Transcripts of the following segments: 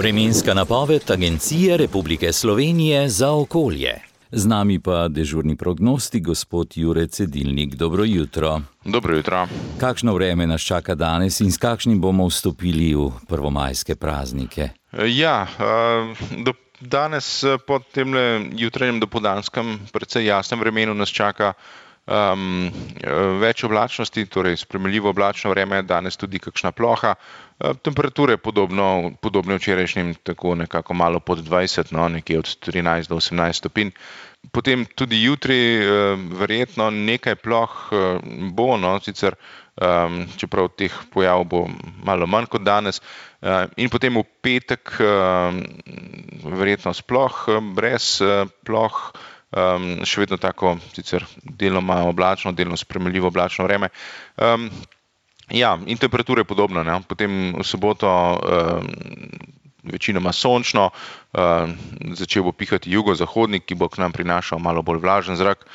Vremenska napoved Agencije Republike Slovenije za okolje. Z nami pa dežurni prognostik, gospod Jure Cedilnik. Dobro jutro. Dobro jutro. Kakšno vreme nas čaka danes in s kakšnim bomo vstopili v prvomajske praznike? Danes po temle jutranjem dopoldanskem precej jasnem vremenu nas čaka več oblačnosti, torej sprejemljivo oblačno vreme, danes tudi kakšna ploha. Temperature podobne včerajšnjim, tako nekako malo pod 20, nekje od 13 do 18 stopinj. Potem tudi jutri verjetno nekaj ploh bo, sicer čeprav teh pojavov bo malo manj kot danes. In potem v petek verjetno sploh brez ploh, še vedno tako sicer deloma oblačno, delno sprejemljivo oblačno vreme. In temperature podobno, Potem v soboto večinoma sončno, začel bo pihati jugozahodnik, ki bo k nam prinašal malo bolj vlažen zrak.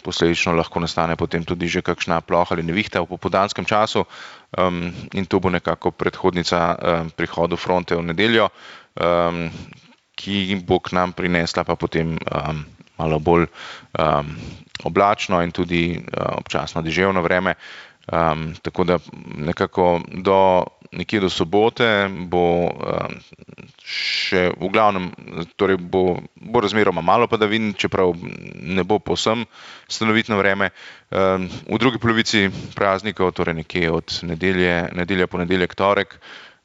Posledično lahko nastane potem tudi že kakšna ploha ali nevihta v popoldanskem času, in to bo nekako predhodnica prihodu fronte v nedeljo, ki bo k nam prinesla pa potem malo bolj oblačno in tudi občasno deževno vreme. Tako da nekako nekje do sobote bo še v glavnem, torej bo razmeroma malo padavin, čeprav ne bo povsem stanovitno vreme. V drugi polovici praznikov, torej nekje od nedelja, ponedeljek, torek,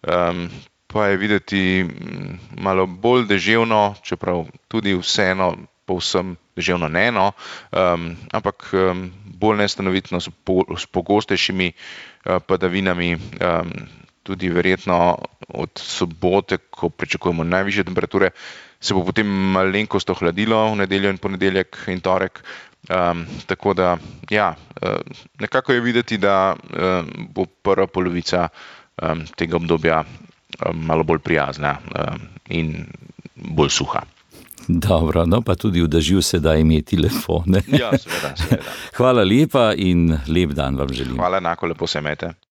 pa je videti malo bolj deževno, čeprav tudi vseeno povsem deževno ne, ampak bolj nestanovitno s pogostejšimi padavinami, tudi verjetno od sobote, ko pričakujemo najvišje temperature, se bo potem malenkost ohladilo v nedeljo in ponedeljek in torek. Tako da, nekako je videti, da bo prva polovica tega obdobja malo bolj prijazna in bolj suha. Dobro, pa tudi v dežju se da imeti telefone. Ja, seveda. Hvala lepa in lep dan vam želim. Hvala, enako, lepo se imejte.